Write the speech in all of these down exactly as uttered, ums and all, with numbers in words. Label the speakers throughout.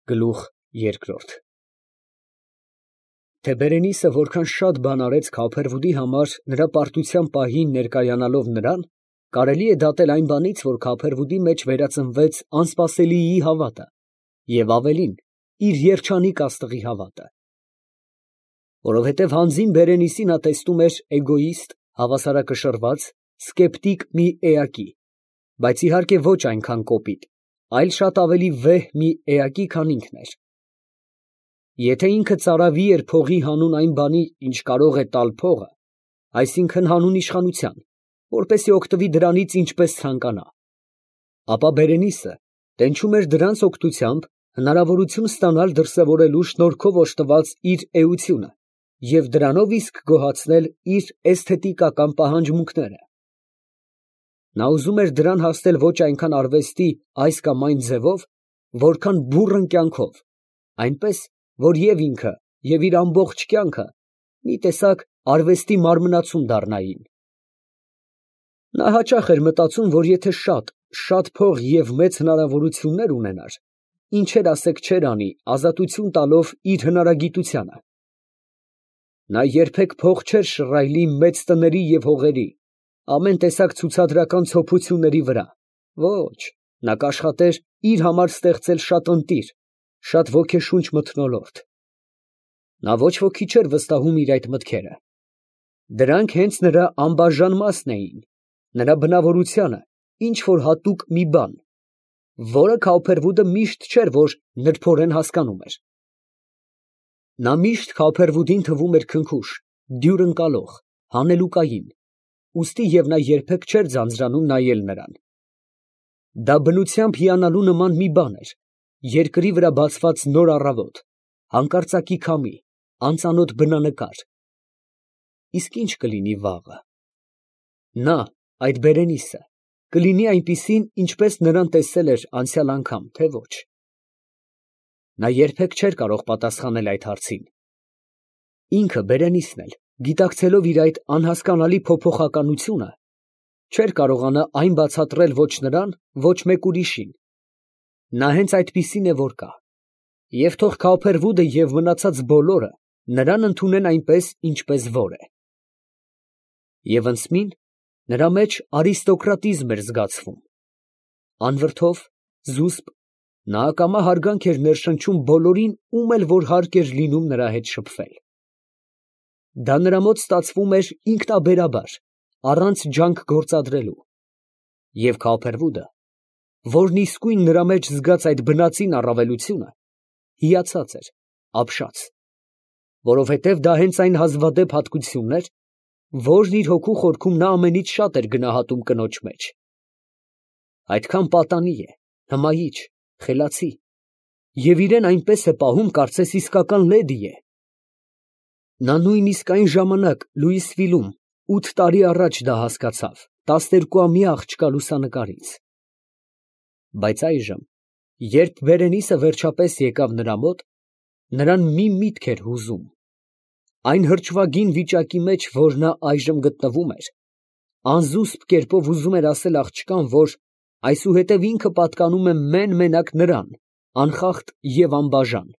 Speaker 1: Գլուխ երկրորդ Թե Բերենիսը որքան շատ բան արեց Քափերվուդի համար նրա պարտության պահին ներկայանալով նրան, կարելի է դատել այն բանից, որ Քափերվուդի մեջ վերածնվեց անսպասելիի հավատը և ավելին, իր երջանիկ աստղի հավատը։ Որովհետև հանձին Բերենիսին նա տեսնում էր էգոիստ, հավասարակշռված, սկեպտիկ մի էակի, բայց իհարկե ոչ այնքան կոպիտ, այլ շատ ավելի վեհ մի էակի, քան ինքն էր։ Եթե ինքը ծարավի էր փողի հանուն այն բանի, ինչ կարող է տալ փողը, այսինքն հանուն իշխանության, որպեսզի օգտվի դրանից ինչպես ցանկանա, ապա Բերենիսը տենչում էր դրանց օգնությամբ հնարավորություն ստանալ դրսևորելու շնորհքով օժտված իր էությունը և դրանով իսկ գոհացնել իր էսթետիկական պահանջմունքները։ Նա ուզում էր դրան հասնել ոչ այնքան արվեստի այս կամ այն ձևով, որքան բուռն կյանքով, այնպես, որ և ինքը, և իր ամբողջ կյանքը մի տեսակ արվեստի մարմնացում դառնային։ Նա հաճախ էր մտածում, որ եթե շատ, շատ փող և մեծ հնարավորություններ ունենար, ինչեր ասեք չէր անի ազատություն տալով իր հնարագիտությանը։ Նա երբեք փող չէր շռայլի մեծ տների և հողերի, ամեն տեսակ ցուցադրական ցոփությունների վրա, ոչ, նա կաշխատեր իր համար ստեղծել շատ ընտիր, շատ ոգեշունչ մթնոլորտ։ Նա ոչ ոքի չէր վստահում իր այդ մտքերը. դրանք հենց նրա անբաժան մասն էին, նրա բնավորությանը, ինչ որ հատուկ մի բան, որը Քափերվուդը միշտ չէր, որ նրբորեն հասկանում էր։ Նա միշտ Քափերվուդին թվում էր քնքուշ, դյուր ընկալող, հանելուկային, ուստի և նա երբեք չէր ձանձրանում նայել նրան։ Դա բնությամբ հիանալու նման մի բան էր, երկրի վրա բացված նոր առավոտ, հանկարծակի քամի, անծանոթ բնանկար։ Իսկ ի՞նչ կլինի վաղը։ Նա, այդ Բերենիսը, կլինի այնպիսին, ինչպես նրան տեսել էր անցյալ անգամ, թե ոչ։ Նա երբեք չէր կարող պատասխանել այդ հարցին։ Ինքը, Բերենիսն էլ, գիտակցելով իր այդ անհասկանալի փոփոխականությունը, չէր կարողանա այն բացատրել ոչ նրան, ոչ մեկ ուրիշին։ Նա հենց այդպիսին է, որ կա, և թող Քափերվուդը և մնացած բոլորը նրան ընդունեն այնպես, ինչպես որ է։ Եվ ընդսմին նրա մեջ արիստոկրատիզմ էր զգացվում։ Անվրդով, զուսպ, նա ակամա հարգանք էր ներշնչում բոլորին, ում էլ որ հարկ էր լինում նրա հետ շփվել։ Դա նրա մոտ ստացվում էր ինքնաբերաբար, առանց ջանք գործադրելու։ Եվ Քափերվուդը, որն իսկույն նրա մեջ զգաց այդ բնածին առավելությունը, հիացած էր, ապշած, որովհետև դա հենց այն հազվադեպ հատկությունն էր, որն իր հոգու խորքում նա ամենից շատ էր գնահատում կնոջ մեջ։ Այդքան պատանի է, հմայիչ, խելացի, և իրեն այնպես է պահում, կարծես իսկական լեդի է։ Նա նույնիսկ այն ժամանակ Լուիսվիլում ութ տարի առաջ դա հասկացավ, տասներկուամյա աղջկա լուսանկարից։ Բայց այժմ, երբ Բերենիսը վերջապես եկավ նրա մոտ, նրան մի միտք էր հուզում։ Այն հրճվագին վիճակի մեջ, որ նա այժմ գտնվում էր, անզուսպ կերպով ուզում էր ասել աղջկան, որ այսուհետև ինքը պատկանում է մեն֊մենակ նրան, անխախտ և անբաժան։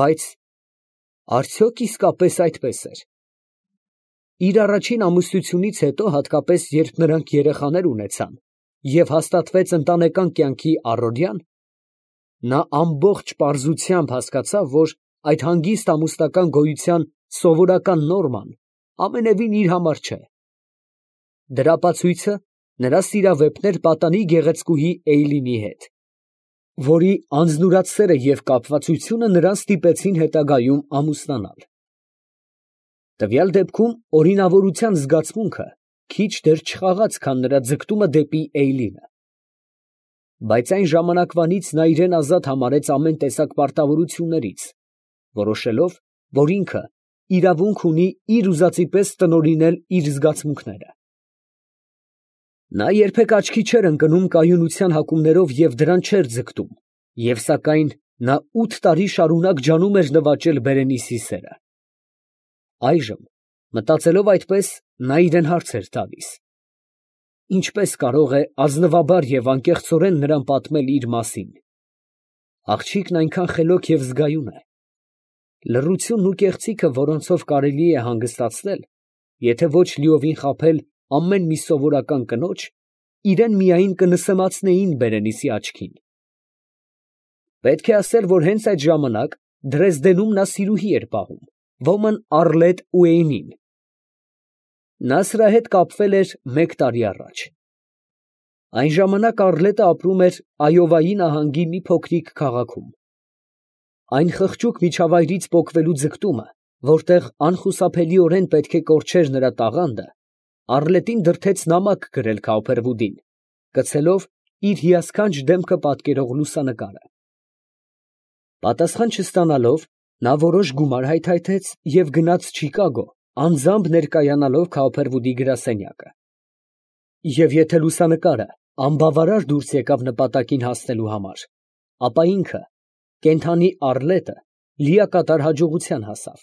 Speaker 1: Բայց արդյոք իսկապես այդպես էր։ Իր առաջին ամուսնությունից հետո, հատկապես երբ նրանք երեխաներ ունեցան և հաստատվեց ընտանեկան կյանքի առօրյան, նա ամբողջ պարզությամբ հասկացավ, որ այդ հանգիստ ամուսնական գոյության սովորական նորման ամենևին իր համար չէ։ Դրա ապացույցը նրա սիրավեպն էր պատանի գեղեցկուհի Էյլինի հետ, որի անձնուրաց սերը և կապվածությունը նրան ստիպեցին հետագայում ամուսնանալ։ Տվյալ դեպքում օրինավորության զգացմունքը քիչ դեռ չխաղաց, քան նրա ձգտումը դեպի Էյլինը։ Բայց այն ժամանակվանից նա իրան ազատ համարեց ամեն տեսակ պարտավորություններից, որոշելով, որ ինքը իրավունք ունի իր ուզածի պես տնօրինել իր զգացմունքները։ Նա երբեք աչքի չէր ընկնում կայունության հակումներով և դրան չէր ձգտում, և սակայն նա ութ տարի շարունակ ջանում էր նվաճել Բերենիսի սերը։ Այժմ, մտածելով այդպես, նա իրան հարց էր տալիս. ինչպես կարող է ազնվաբար և անկեղծորեն նրան պատմել իր մասին։ Աղջիկն այնքան խելոք և զգայուն է։ Լռությունն ու կեղծիքը, որոնցով կարելի է հանգստացնել, եթե ոչ լիովին խաբել ամեն մի սովորական կնոջ, իրան միայն կնսեմացնեին Բերենիսի աչքին։ Պետք է ասել, որ հենց այդ ժամանակ Դրեզդենում նա սիրուհի էր պահում, ոմն Առլետ Ուեյնին։ Նա սրա հետ կապվել էր մեկ տարի առաջ։ Այն ժամանակ Առլետը ապրում էր Այովայի նահանգի մի փոքրիկ քաղաքում։ Այն խղճուկ միջավայրից պոկվելու ձգտումը, որտեղ անխուսափելիորեն պետք է կորչեր նրա տաղանդը, Առլետին դրդեց նամակ գրել Քաուփերվուդին, գցելով իր հիասքանչ դեմքը պատկերող լուսանկարը։ Պատասխան չստանալով, նա որոշ գումար հայթայթեց և գնաց Չիկագո, անձամբ ներկայանալով Քաուփերվուդի գրասենյակը։ Եվ եթե լուսանկարը անբավարար դուրս եկավ նպատակին հասնելու համար, ապա ինքը, կենդանի Առլետը, լիակատար հաջողության հասավ։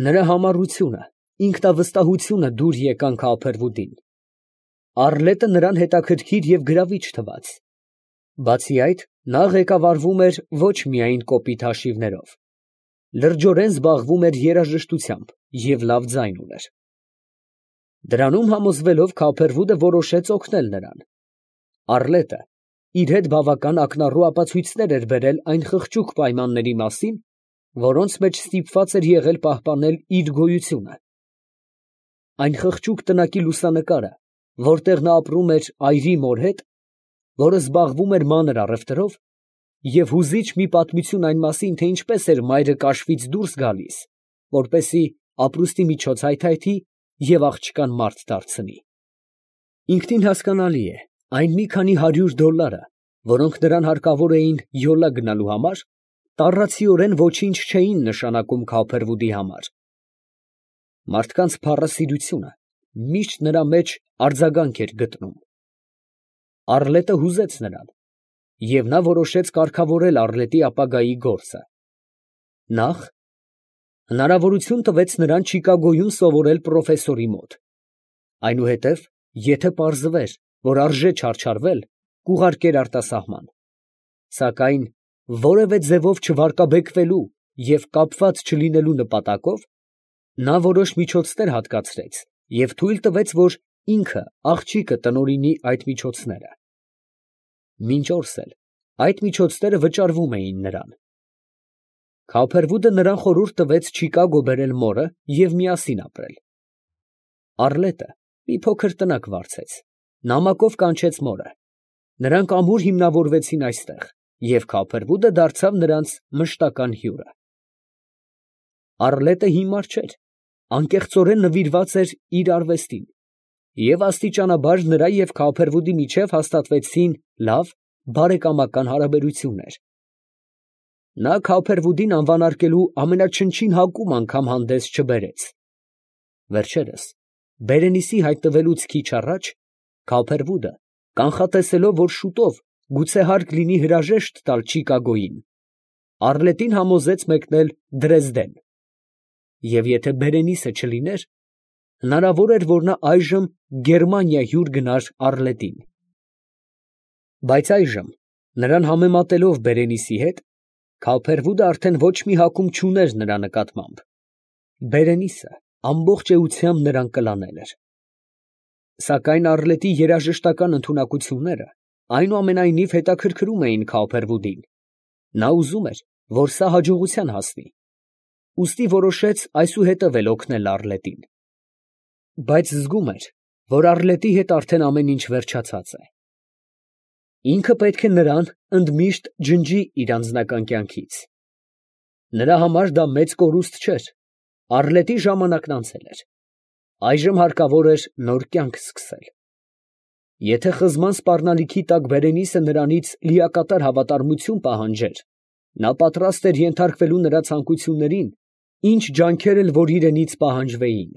Speaker 1: Նրա համառությունը, ինքնավստահությունը դուր եկան Քաուփերվուդին։ Առլետը նրան հետաքրքիր և գրավիչ թվաց։ Բացի այդ, նա ղեկավարվում էր ոչ միայն կոպիտ հաշիվներով, լրջորեն զբաղվում էր երաժշտությամբ և լավ ձայն ուներ։ Դրանում համոզվելով, Քաուփերվուդը որոշեց օգնել նրան։ Առլետը իր հետ բավական ակնառու ապացույցներ էր բերել այն խղճուկ պայմանների մասին, որոնց մեջ ստիպված էր եղել պահպանել իր գոյությունը։ Այն խղճուկ տնակի լուսանկարը, որտեղ նա ապրում էր այրի մոր հետ, որը զբաղվում էր մանր առևտրով, և հուզիչ մի պատմություն այն մասին, թե ինչպես էր մայրը կաշվից դուրս գալիս, որպեսզի ապրուստի միջոց հայթայթի և աղջկան մարդ դարձնի։ Ինքնին հասկանալի է, այն մի քանի հարյուր դոլարը, որոնք նրան հարկավոր էին յոլա գնալու համար, տառացիորեն ոչինչ չէին նշանակում Քաուփերվուդի համար։ Մարդկանց փառասիրությունը միշտ նրա մեջ արձագանք էր գտնում։ Առլետը հուզեց նրան, և նա որոշեց կարգավորել Առլետի ապագայի գործը։ Նախ, հնարավորություն տվեց նրան Չիկագոյում սովորել պրոֆեսորի մոտ, այնուհետև, եթե պարզվեր, որ արժե չարչարվել, կուղարկեր արտասահման, սակայն որևէ ձևով չվարկաբեկվելու և կապված չլինելու նպատակով, նա որոշ միջոցներ հատկացրեց և թույլ տվեց, որ ինքը, աղջիկը, տնօրինի այդ միջոցները։ Մինչ օրս էլ այդ միջոցները վճարվում էին նրան։ Քաուփերվուդը նրան խորհուրդ տվեց Չիկագո բերել մորը և միասին ապրել։ Առլետը մի փոքր տնակ վարձեց, նամակով կանչեց մորը։ Նրանք ամուր հիմնավորվեցին այստեղ, և Քաուփերվուդը դարձավ նրանց մշտական հյուրը։ Առլետը հիմար չէր, անկեղծորեն նվիրված էր իր արվեստին, և աստիճանաբար նրա և Քաուփերվուդի միջև հաստատվեցին լավ, բարեկամական հարաբերություններ։ Նա Քաուփերվուդին անվանարկելու ամենաչնչին հակում անգամ հանդես չբերեց։ Վերջերս, Բերենիսի հայտնվելուց քիչ առաջ, Քաուփերվուդը, կանխատեսելով, որ շուտով գուցե հարկ լինի հրաժեշտ տալ Չիկագոյին, Առլետին համոզեց մեկնել Դրեզդեն, և եթե Բերենիսը չլիներ, հնարավոր էր, որ նա այժմ Գերմանիա հյուր գնար Առլետին։ Բայց այժմ, նրան համեմատելով Բերենիսի հետ, Քաուփերվուդը արդեն ոչ մի հակում չուներ նրա նկատմամբ։ Բերենիսը ամբողջ էությամբ նրան կլանել էր։ Սակայն Առլետի երաժշտական ընդունակությունները այնուամենայնիվ հետաքրքրում էին Քաուփերվուդին։ Նա ուզում էր, որ սա հաջողության հասնի, ուստի որոշեց այսուհետև էլ օգնել Առլետին։ Բայց զգում էր, որ Առլետի հետ արդեն ամեն ինչ վերջացած է։ Ինքը պետք է նրան ընդմիշտ ջնջի իր անձնական կյանքից։ Նրա համար դա մեծ կորուստ չէր, Առլետի ժամանակն անցել էր, այժմ հարկավոր էր նոր կյանք սկսել։ Եթե խզման սպառնալիքի տակ Բերենիսը նրանից լիակատար հավատարմություն պահանջեր, նա պատրաստ էր ենթարկվելու նրա ցանկություններին, ինչ ջանքեր էլ որ իրենից պահանջվեին։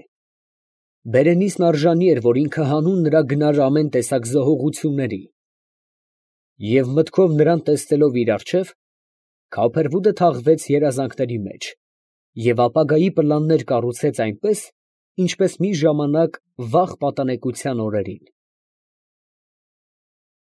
Speaker 1: Բերենիսն արժանի էր, որ ինքը հանուն նրա գնար ամեն տեսակ զոհողությունների։ Եվ մտքով նրան տեսնելով իր առջև, Քաուփերվուդը թաղվեց երազանքների մեջ և ապագայի պլաններ կառուցեց այնպես, ինչպես մի ժամանակ վաղ պատանեկության օրերին։